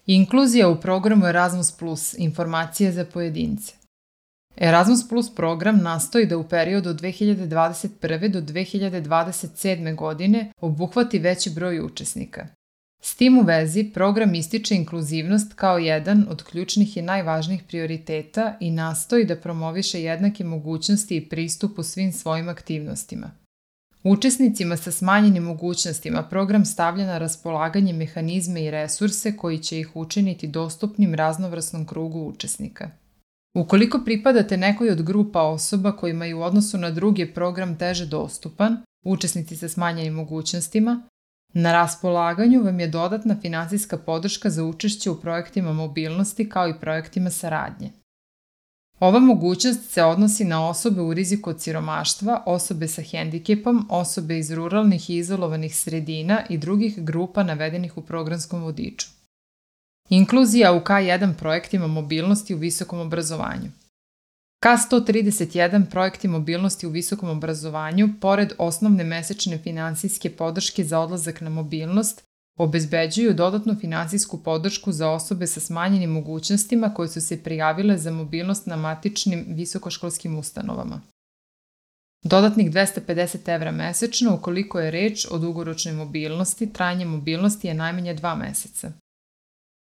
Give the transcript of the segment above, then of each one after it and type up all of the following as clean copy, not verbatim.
Inkluzija u programu Erasmus Plus, informacije za pojedince. Erasmus Plus program nastoji da u periodu od 2021. do 2027. godine obuhvati veći broj učesnika. S tim u vezi, program ističe inkluzivnost kao jedan od ključnih i najvažnijih prioriteta i nastoji da promoviše jednake mogućnosti i pristup u svim svojim aktivnostima. Učesnicima sa smanjenim mogućnostima program stavlja na raspolaganje mehanizme i resurse koji će ih učiniti dostupnim raznovrsnom krugu učesnika. Ukoliko pripadate nekoj od grupa osoba kojima je u odnosu na druge program teže dostupan, učesnici sa smanjenim mogućnostima, na raspolaganju vam je dodatna finansijska podrška za učešće u projektima mobilnosti kao i projektima saradnje. Ova mogućnost se odnosi na osobe u riziku od siromaštva, osobe sa hendikepom, osobe iz ruralnih i izolovanih sredina i drugih grupa navedenih u programskom vodiču. Inkluzija u K1 projektima mobilnosti u visokom obrazovanju. K131 projekti mobilnosti u visokom obrazovanju, pored osnovne mesečne finansijske podrške za odlazak na mobilnost, obezbeđuju dodatnu finansijsku podršku za osobe sa smanjenim mogućnostima koje su se prijavile za mobilnost na matičnim visokoškolskim ustanovama. Dodatnih 250 € mesečno ukoliko je reč o dugoročnoj mobilnosti, trajanje mobilnosti je najmanje 2 meseca.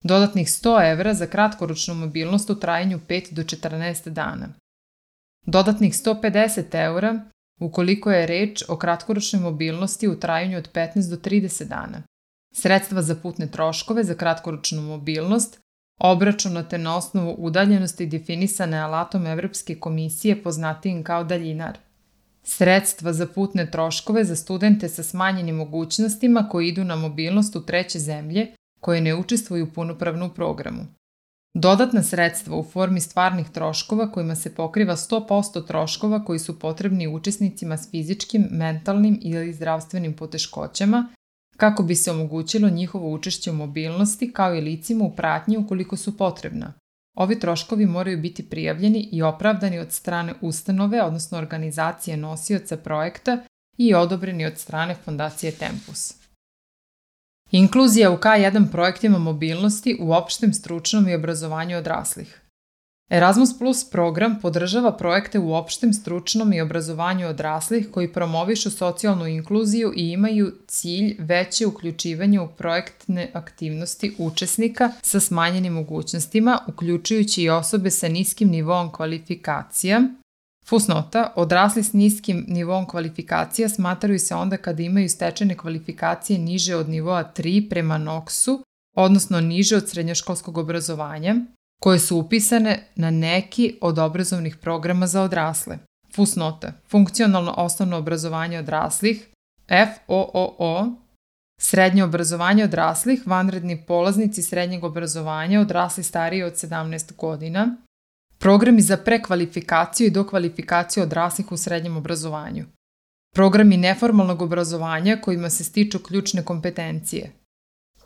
Dodatnih 100 € za kratkoročnu mobilnost u trajanju 5 do 14 dana. Dodatnih 150 € ukoliko je reč o kratkoročnoj mobilnosti u trajanju od 15 do 30 dana. Sredstva za putne troškove za kratkoročnu mobilnost, obračunate na osnovu udaljenosti definisane alatom Evropske komisije poznatijim kao daljinar. Sredstva za putne troškove za studente sa smanjenim mogućnostima koji idu na mobilnost u treće zemlje koje ne učestvuju punopravno u programu. Dodatna sredstva u formi stvarnih troškova kojima se pokriva 100% troškova koji su potrebni učesnicima s fizičkim, mentalnim ili zdravstvenim poteškoćama kako bi se omogućilo njihovo učešće u mobilnosti kao i licima u pratnji ukoliko su potrebna. Ovi troškovi moraju biti prijavljeni i opravdani od strane ustanove, odnosno organizacije nosioca projekta i odobreni od strane Fondacije Tempus. Inkluzija u K1 projektima mobilnosti u opštem stručnom i obrazovanju odraslih. Erasmus Plus program podržava projekte u opštem stručnom i obrazovanju odraslih koji promovišu socijalnu inkluziju i imaju cilj veće uključivanje u projektne aktivnosti učesnika sa smanjenim mogućnostima, uključujući i osobe sa niskim nivoom kvalifikacija. Fusnota, odrasli s niskim nivoom kvalifikacija smatraju se onda kada imaju stečene kvalifikacije niže od nivoa 3 prema NOKS-u, odnosno niže od srednjoškolskog obrazovanja, koje su upisane na neki od obrazovnih programa za odrasle. Fusnota, funkcionalno osnovno obrazovanje odraslih, FOOO, srednje obrazovanje odraslih, vanredni polaznici srednjeg obrazovanja, odrasli stariji od 17 godina, programi za prekvalifikaciju i dokvalifikaciju odraslih u srednjem obrazovanju, programi neformalnog obrazovanja kojima se stiču ključne kompetencije,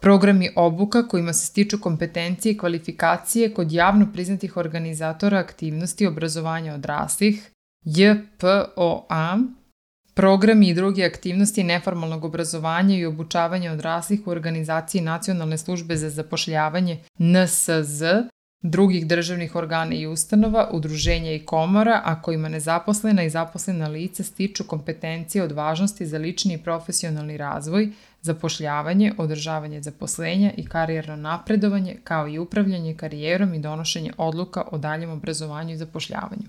programi obuka kojima se stiču kompetencije i kvalifikacije kod javno priznatih organizatora aktivnosti obrazovanja odraslih, JPOA, programi i druge aktivnosti neformalnog obrazovanja i obučavanja odraslih u organizaciji Nacionalne službe za zapošljavanje NSZ, drugih državnih organa i ustanova, udruženja i komora, a kojima nezaposlena i zaposlena lica stiču kompetencije od važnosti za lični i profesionalni razvoj, zapošljavanje, održavanje zaposlenja i karijerno napredovanje, kao i upravljanje karijerom i donošenje odluka o daljem obrazovanju i zapošljavanju.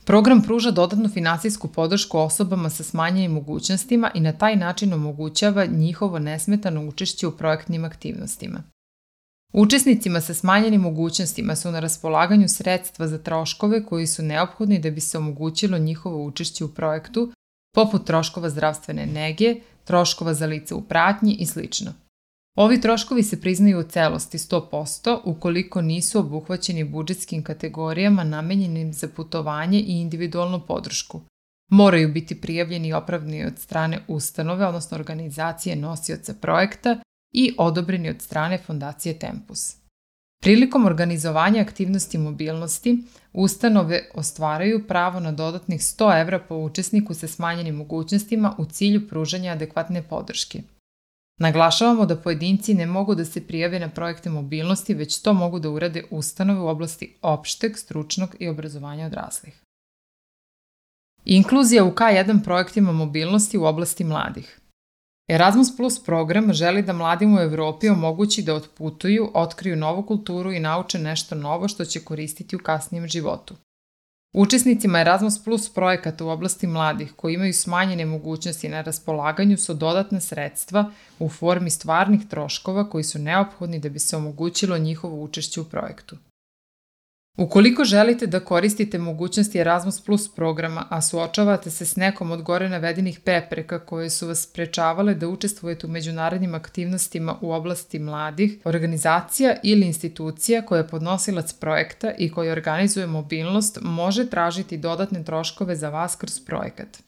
Program pruža dodatnu finansijsku podršku osobama sa smanjenim mogućnostima i na taj način omogućava njihovo nesmetano učešće u projektnim aktivnostima. Učesnicima sa smanjenim mogućnostima su na raspolaganju sredstva za troškove koji su neophodni da bi se omogućilo njihovo učešće u projektu, poput troškova zdravstvene nege, troškova za lice u pratnji i sl. Ovi troškovi se priznaju u celosti 100% ukoliko nisu obuhvaćeni budžetskim kategorijama namenjenim za putovanje i individualnu podršku. Moraju biti prijavljeni i opravdani od strane ustanove, odnosno organizacije nosioca projekta i odobreni od strane Fondacije Tempus. Prilikom organizovanja aktivnosti mobilnosti, ustanove ostvaraju pravo na dodatnih 100 € po učesniku sa smanjenim mogućnostima u cilju pružanja adekvatne podrške. Naglašavamo da pojedinci ne mogu da se prijave na projekte mobilnosti, već to mogu da urade ustanove u oblasti opšteg, stručnog i obrazovanja odraslih. Inkluzija u K1 projektima mobilnosti u oblasti mladih. Erasmus Plus program želi da mladima u Evropi omogući da otputuju, otkriju novu kulturu i nauče nešto novo što će koristiti u kasnijem životu. Učesnicima Erasmus Plus projekata u oblasti mladih koji imaju smanjene mogućnosti na raspolaganju su dodatna sredstva u formi stvarnih troškova koji su neophodni da bi se omogućilo njihovo učešće u projektu. Ukoliko želite da koristite mogućnosti Erasmus Plus programa, a suočavate se s nekom od gore navedenih prepreka koje su vas sprečavale da učestvujete u međunarodnim aktivnostima u oblasti mladih, organizacija ili institucija koja je podnosilac projekta i koja organizuje mobilnost može tražiti dodatne troškove za vas kroz projekat.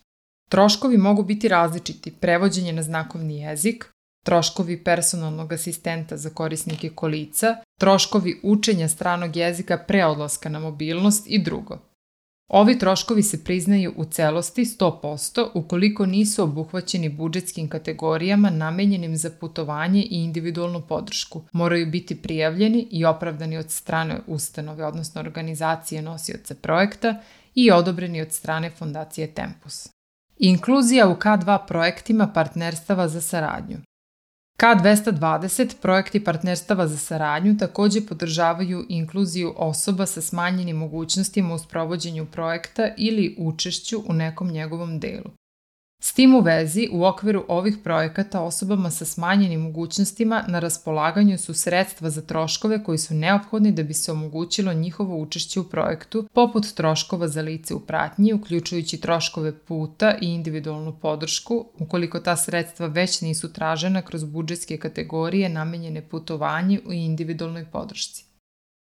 Troškovi mogu biti različiti: prevođenje na znakovni jezik, troškovi personalnog asistenta za korisnike kolica, troškovi učenja stranog jezika pre odlaska na mobilnost i drugo. Ovi troškovi se priznaju u celosti 100% ukoliko nisu obuhvaćeni budžetskim kategorijama namenjenim za putovanje i individualnu podršku. Moraju biti prijavljeni i opravdani od strane ustanove, odnosno organizacije nosioca projekta i odobreni od strane Fondacije Tempus. Inkluzija u K2 projektima partnerstava za saradnju. K220 projekti partnerstava za saradnju takođe podržavaju inkluziju osoba sa smanjenim mogućnostima u sprovođenju projekta ili učešću u nekom njegovom delu. S tim u vezi, u okviru ovih projekata osobama sa smanjenim mogućnostima na raspolaganju su sredstva za troškove koji su neophodni da bi se omogućilo njihovo učešće u projektu, poput troškova za lice u pratnji, uključujući troškove puta i individualnu podršku, ukoliko ta sredstva već nisu tražena kroz budžetske kategorije namenjene putovanju i individualnoj podršci.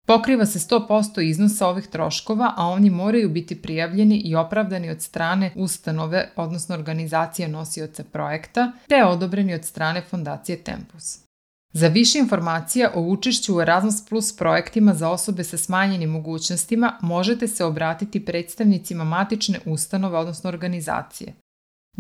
Pokriva se 100% iznosa ovih troškova, a oni moraju biti prijavljeni i opravdani od strane ustanove, odnosno organizacije nosioca projekta, te odobreni od strane Fondacije Tempus. Za više informacija o učešću u Erasmus Plus projektima za osobe sa smanjenim mogućnostima možete se obratiti predstavnicima matične ustanove, odnosno organizacije.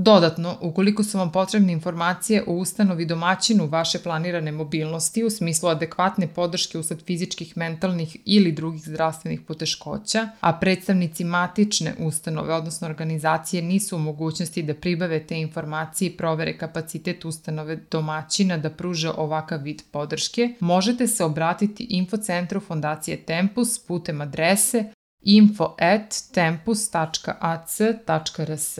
Dodatno, ukoliko su vam potrebne informacije o ustanovi domaćinu vaše planirane mobilnosti u smislu adekvatne podrške usled fizičkih, mentalnih ili drugih zdravstvenih poteškoća, a predstavnici matične ustanove, odnosno organizacije, nisu u mogućnosti da pribave te informacije i provere kapacitet ustanove domaćina da pruže ovakav vid podrške, možete se obratiti infocentru Fondacije Tempus putem adrese info@tempus.ac.rs.